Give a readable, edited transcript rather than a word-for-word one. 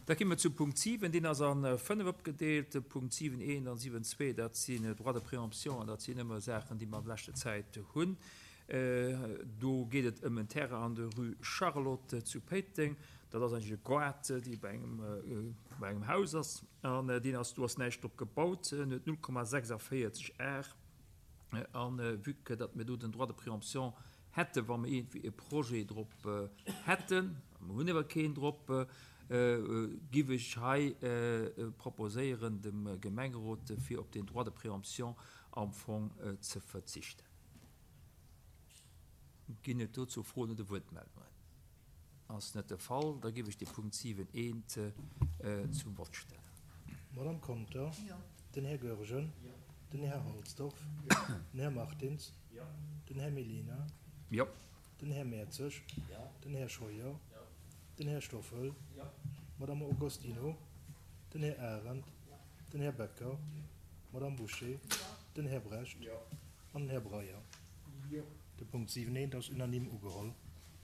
Da gi mer zum Punkt 7, deen ass a 5 opgedeelt. Punkt 7, 1 an 7, 2, dat sinn Droits de préemption an dat sinn ëmmer Saachen, déi mer an leschter Zäit hunn. Do geet et ëm en Terrain an der Rue Charlotte zu Péiteng. Dat ass eigentlech e Goart, dee bei engem, bei engem Haus ass. An deen ass, do ass näischt drop gebaut. En huet 0,46 Ar. A vue que datt mir do den Droit de préemption hätten, wa mir iergendwéi e Projet drop hätten, mer hunn awer keen drop, giff ech hei proposéieren dem Gemengerot, fir op deen Droit de préemption am Fong ze verzichten. Ginn et dozou Froen oder Wuertmeldungen? Ass net de Fall. Da giff ech de Punkt 7 eent zum Vott stellen. D'Madame Conter, den Här Goergen, den Här Halsdorf, den Här Martins, den Här Mellina, den Här Mertzig, den Här Scheuer, den Här Stoffel, d'Madame Agostino, den Här Arendt, den Här Becker, d'Madame Bouché, den Här Brecht an den Här Breyer. De Punkt 7 eent ass unanime ugeholl.